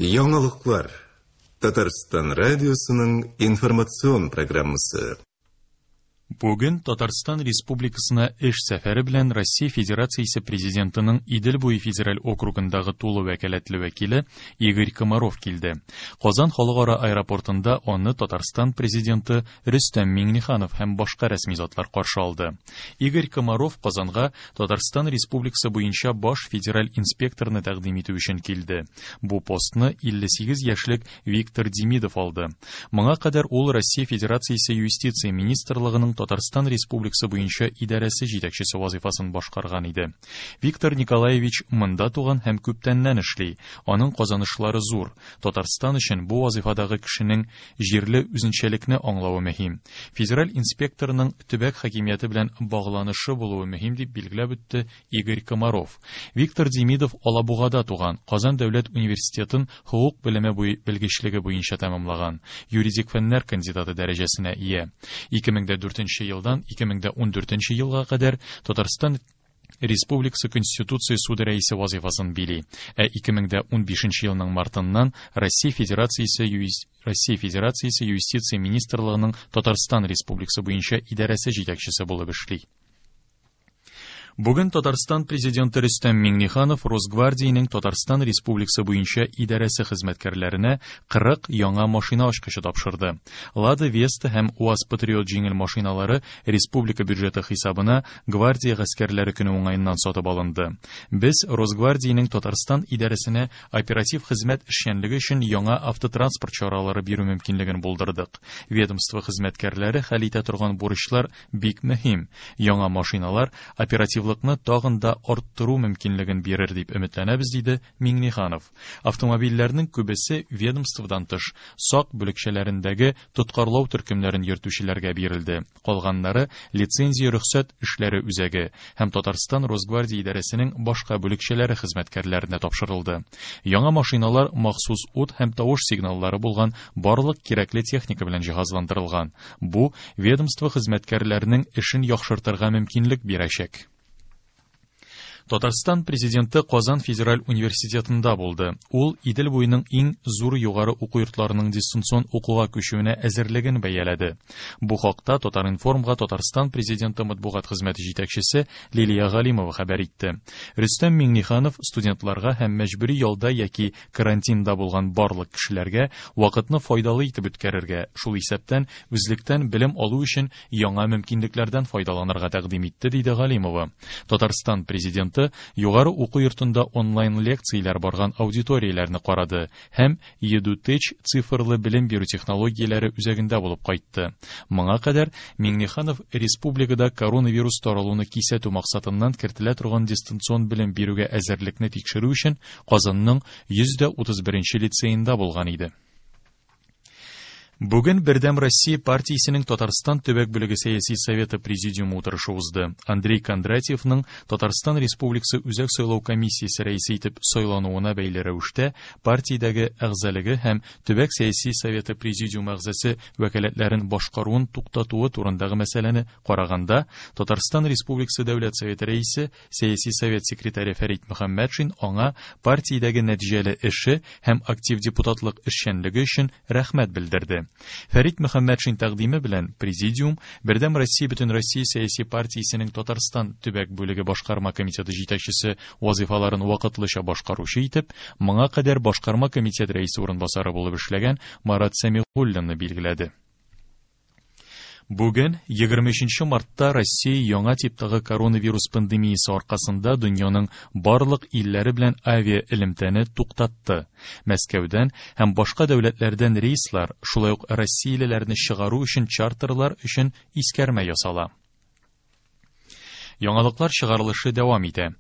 Яңалыклар. Татарстан радиосының информацион программасы. Бүген Татарстан Республикасына эш сәфәре белән Россия Федерациясе Президентының Идел буе федераль округындагы тулы вәкаләтле вәкиле Игорь Комаров килде. Казан халыкара аэропортында аны Татарстан Президенты Рөстәм Миңнеханов һәм башка рәсми затлар каршы алды. Игорь Комаров Казанга Татарстан Республикасы буенча баш федераль инспекторны тәкъдим итү өчен килде. Бу постны 58 яшьлек Виктор Демидов алды. Моңа кадәр ул Россия Федерациясе Юстиция министрлыгының Татарстан Республикасы буенча идарәсе җитәкчесе вазыйфасын башкарган иде. Виктор Николаевич монда туган һәм күптәннән эшли. Аның казанышлары зур. Татарстан өчен бу вазыйфадагы кешенең җирле үзенчәлекне аңлавы мөһим. Федераль инспекторның төбәк хакимияте белән багланышы булуы мөһим, дип билгеләп үтте Игорь Комаров. Виктор Демидов Алабугада туган, Казан дәүләт университетын хокук белеме белгечлеге буенча тәмамлаган, юридик фәннәр кандидаты дәрәҗәсенә ия. 2004 елдан 2014 елга кадәр Татарстан Республикасы Конституция суды рәисе вазыйфасын били, ә 2015 елның мартыннан Россия Федерациясе Россия Федерациясе Юстиция министрлыгының Татарстан Республикасы буенча идарәсе җитәкчесе булып эшли. Бүген Татарстан Президенты Рөстәм Миңнеханов Росгвардиянең Татарстан Республикасы буенча идарәсе хезмәткәрләренә 40 яңа машина ачкычы тапшырды. Лада Веста һәм УАЗ Патриот җиңел машиналары республика бюджеты хисабына Гвардия гаскәрләре көне уңаеннан сатып алынды. Без Росгвардиянең Татарстан идарәсенә оператив хезмәт эшчәнлеге өчен яңа автотранспорт чаралары бирү мөмкинлеген булдырдык. Ведомство хезмәткәрләре хәл итә торган бурычлар бик мөһим. Яңа машиналар оперативлыкны тагын да арттыру мөмкинлеген бирер дип өметләнәбез, диде Миңнеханов. Автомобильләрнең күбесе ведомстводан тыш сак бүлекчәләрендәге тоткарлау төркемнәрен йөртүчеләргә бирелде. Калганнары лицензия рөхсәт эшләре үзәге һәм Татарстан Росгвардия идарәсенең башка бүлекчәләре хезмәткәрләренә тапшырылды. Яңа машиналар махсус ут һәм тавыш сигналлары булган барлык кирәкле техника белән җиһазландырылган. Бу ведомство хезмәткәрләренең эшен яхшыртырга мөмкинлек бирәчәк. Татарстан президенты Казан федераль университетында булды. Ул Идел буеның иң зур югары уку йортларының дистанцион укуга күчүенә әзерлеген бәяләде. Бу хакта Татар-информга Татарстан президенты матбугат хезмәте җитәкчесе Лилия Галимова хәбәр итте. Рөстәм Миңнеханов студентларга һәм мәҗбүри ялда яки карантинда булган барлык кешеләргә вакытны файдалы итеп үткәрергә, шул исәптән үзлектән белем алу өчен яңа мөмкинлекләрдән файдаланырга тәкъдим итте, диде Галимова. Татарстан президенты югары уку йортында онлайн лекцияләр барган аудиторияләрне карады һәм EduTech цифрлы белем бирү технологияләре үзәгендә булып кайтты. Моңа кадәр Миңнеханов республикада коронавирус таралуны кисәтү максатыннан кертелә торган дистанцион белем бирүгә әзерлекне тикшерү өчен Казанның 131 лицеенда булган иде. Бүген Бердәм Россия партиясенең Татарстан төбәк бүлеге сәяси советы президиумы утырышы узды. Андрей Кондратьевның Татарстан Республикасы Үзәк сайлау комиссиясе рәисе итеп сайлануына бәйле рәвештә партиядәге әгъзалыгы һәм төбәк сәяси советы президиумы әгъзасы вәкаләтләрен башкаруын туктатуы турындагы мәсьәләне караганда Татарстан Республикасы Дәүләт Советы рәисе Сәяси совет секретаре Фәрит Мөхәммәтшин аңа партиядәге нәтиҗәле эше һәм актив депутатлык эшчәнлеге өчен рәхмәт белдерде. Фәрит Мөхәммәтшин тәкъдиме белән президиум Бердәм Россия Бөтенроссия сәяси партиясенең Татарстан төбәк бүлеге башкарма комитеты җитәкчесе вазыйфаларын вакытлыча башкаручы итеп, моңа кадәр башкарма комитет рәисе урынбасары булып эшләгән Марат Сәмигуллинны билгеләде. Бүген, 23 мартта Россия яңа типтагы коронавирус пандемиясе аркасында дөньяның барлык илләре белән авиаэлемтәне туктатты. Мәскәүдән һәм башка дәүләтләрдән рейслар, шулай ук россиялеләрне чыгару өчен чартерлар өчен искәрмә ясала. Яңалыклар чыгарылышы дәвам итә.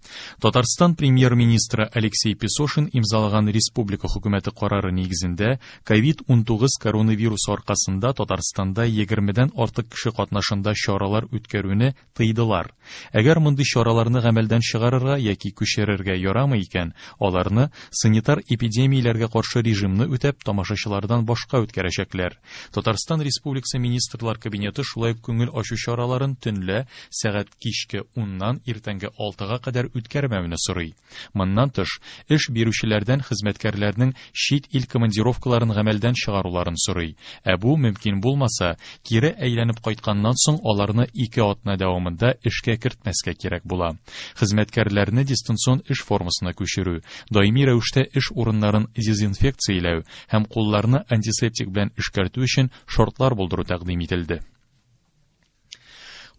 Татарстан премьер-министры Алексей Песошин имзалаган республика хөкүмәте карары нигезендә COVID-19 коронавирусы аркасында Татарстанда 20-дән артык кеше катнашында чаралар үткәрүне тыйдылар. Әгәр мондый чараларны гамәлдән чыгарырга яки күчерергә ярамый икән, аларны санитар эпидемияләргә каршы режимны үтәп тамашачылардан башка үткәрәчәкләр. Татарстан Республикасы Министрлар Кабинеты шулай ук күңел ачу чараларын төнлә сәгать кичке иртәнге уннан иртәнге алтыга кадәр үткәрмәүне сорый. Моннан тыш, эш бирүчеләрдән хезмәткәрләрнең чит ил командировкаларын гамәлдән чыгаруларын сорый. Ә бу мөмкин булмаса, кире әйләнеп кайтканнан соң аларны 2 атна дәвамында эшкә кертмәскә кирәк була. Хезмәткәрләрне дистанцион эш формасына күчерү, даими рәвештә эш урыннарын дезинфекцияләү һәм кулларны антисептик белән эшкәртү өчен шартлар булдыру тәкъдим ителде.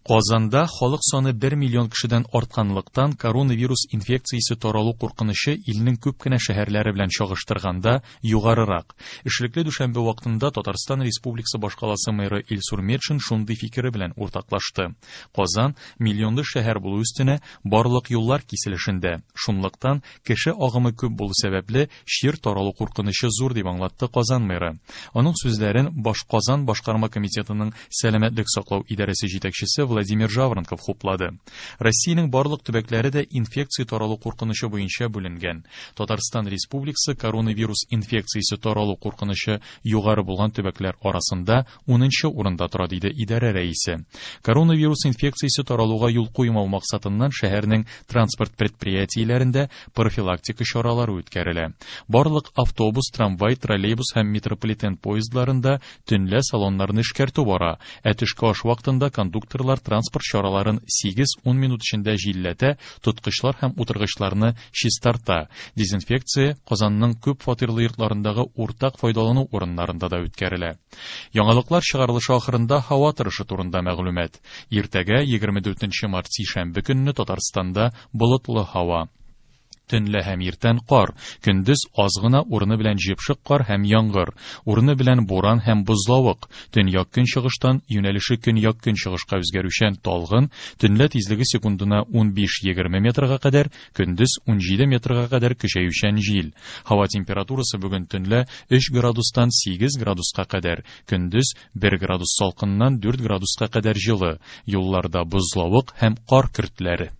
Казанда халык саны 1 миллион кешедән артканлыктан коронавирус инфекциясе таралу куркынычы илнең күп кенә шәһәрләре белән чагыштырганда югарырак. Эшлекле дүшәмбе вакытында Татарстан Республикасы башкаласы мэры Илсур Метшин шундый фикере белән уртаклашты. Казан миллионлы шәһәр булу өстенә барлык юллар киселешендә. Шунлыктан кеше агымы күп булу сәбәпле чир таралу куркынычы зур дип аңлатты Казан мэры. Аның сүзләрен Башказан башкарма комитетының сәламәтлек саклау идарәсе җитәкчесе Владимир Жаворонков хуплады. Россиянең барлык төбәкләре дә инфекция таралу куркынычы буенча бүленгән. Татарстан Республикасы коронавирус инфекциясе таралу куркынычы югары булган төбәкләр арасында 10нчы урында тора, диде идарә рәисе. Коронавирус инфекциясе таралуга юл куймау максатыннан шәһәрнең транспорт предприятиеләрендә профилактика чаралары үткәрелә. Барлык автобус, трамвай, троллейбус һәм метрополитен поездларында төнлә салоннарны эшкәртү бара. Ә төшке аш вакытында кондукторлар транспорт чараларын 8-10 минут эчендә җилләтә, тоткычлар һәм утыргычларны чистарта. Дезинфекция Казанның күп фатирлы йортларындагы уртак файдалану урыннарында да үткәрелә. Яңалыклар чыгарылышы ахырында һава торышы турында мәгълүмат. Иртәгә 24 март сишәмбе көнне Татарстанда болытлы һава. Төнлә һәм иртән кар, көндез аз гына урыны белән җепшек кар һәм яңгыр, урыны белән буран һәм бозлавык, төньяк көнчыгыштан юнәлеше көньяк көнчыгышка үзгәрүчән талгын, төнлә тизлеге секундына 15-20 метрга кадәр, көндез 17 метрга кадәр көчәючән җил. Һава температурасы бүген төнлә 3 градустан 8 градуска кадәр, көндез 1 градус салкыннан 4 градуска кадәр җылы. Юлларда бозлавык һәм кар көртләре.